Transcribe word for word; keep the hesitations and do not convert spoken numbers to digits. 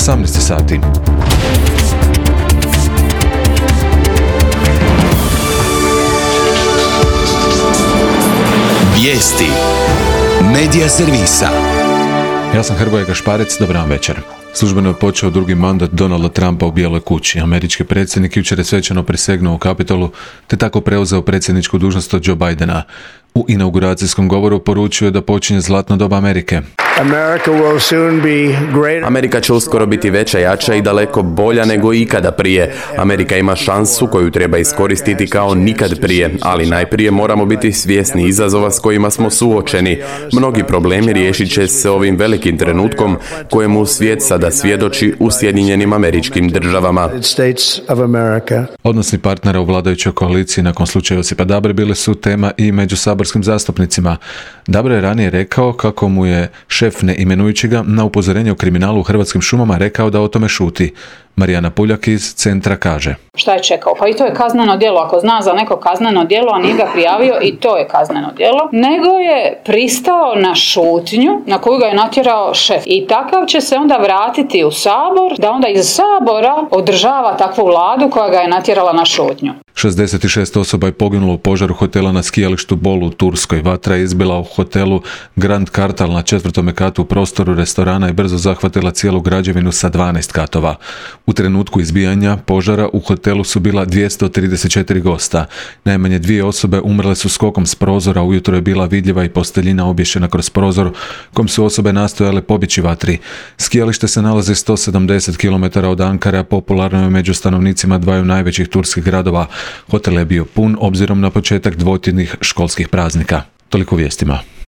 osamnaest sati. Vijesti Medija servisa. Ja sam Hrvoje Gašparec, dobar vam večer. Službeno je počeo drugi mandat Donalda Trumpa u Bijeloj kući. Američki predsjednik jučer je svečano prisegnuo u Kapitolu, te tako preuzeo predsjedničku dužnost od Joe Bidena. U inauguracijskom govoru poručio je da počinje zlatno doba Amerike. Amerika će uskoro biti veća, jača i daleko bolja nego ikada prije. Amerika ima šansu koju treba iskoristiti kao nikad prije, ali najprije moramo biti svjesni izazova s kojima smo suočeni. Mnogi problemi riješit će se ovim velikim trenutkom kojemu svijet sada svjedoči u Sjedinjenim Američkim Državama. Odnosi partnera u vladajućoj koaliciji nakon slučaja Josipa Dabre bile su tema i među saborskim zastupnicima. Dabre je ranije rekao kako mu je šef ne imenujući ga na upozorenje o kriminalu u Hrvatskim šumama rekao da o tome šuti. Marijana Puljak iz Centra kaže: Šta je čekao? Pa i to je kazneno djelo. Ako zna za neko kazneno djelo, a nije ga prijavio, i to je kazneno djelo. Nego je pristao na šutnju na koju ga je natjerao šef. I takav će se onda vratiti u Sabor, da onda iz Sabora održava takvu vladu koja ga je natjerala na šutnju. šezdeset šest osoba je poginulo u požaru hotela na skijalištu Bolu u Turskoj. Vatra je izbila u hotelu Grand Kartal na četvrtome katu u prostoru restorana i brzo zahvatila cijelu građevinu sa dvanaest katova. U trenutku izbijanja požara u hotelu su bila dvjesto trideset četiri gosta. Najmanje dvije osobe umrle su skokom s prozora, ujutro je bila vidljiva i posteljina obješena kroz prozor kom su osobe nastojale pobjeći vatri. Skijalište se nalazi sto sedamdeset kilometara od Ankare, popularno je među stanovnicima dvaju najvećih turskih gradova. Hotel je bio pun obzirom na početak dvotjednih školskih praznika. Toliko vijestima.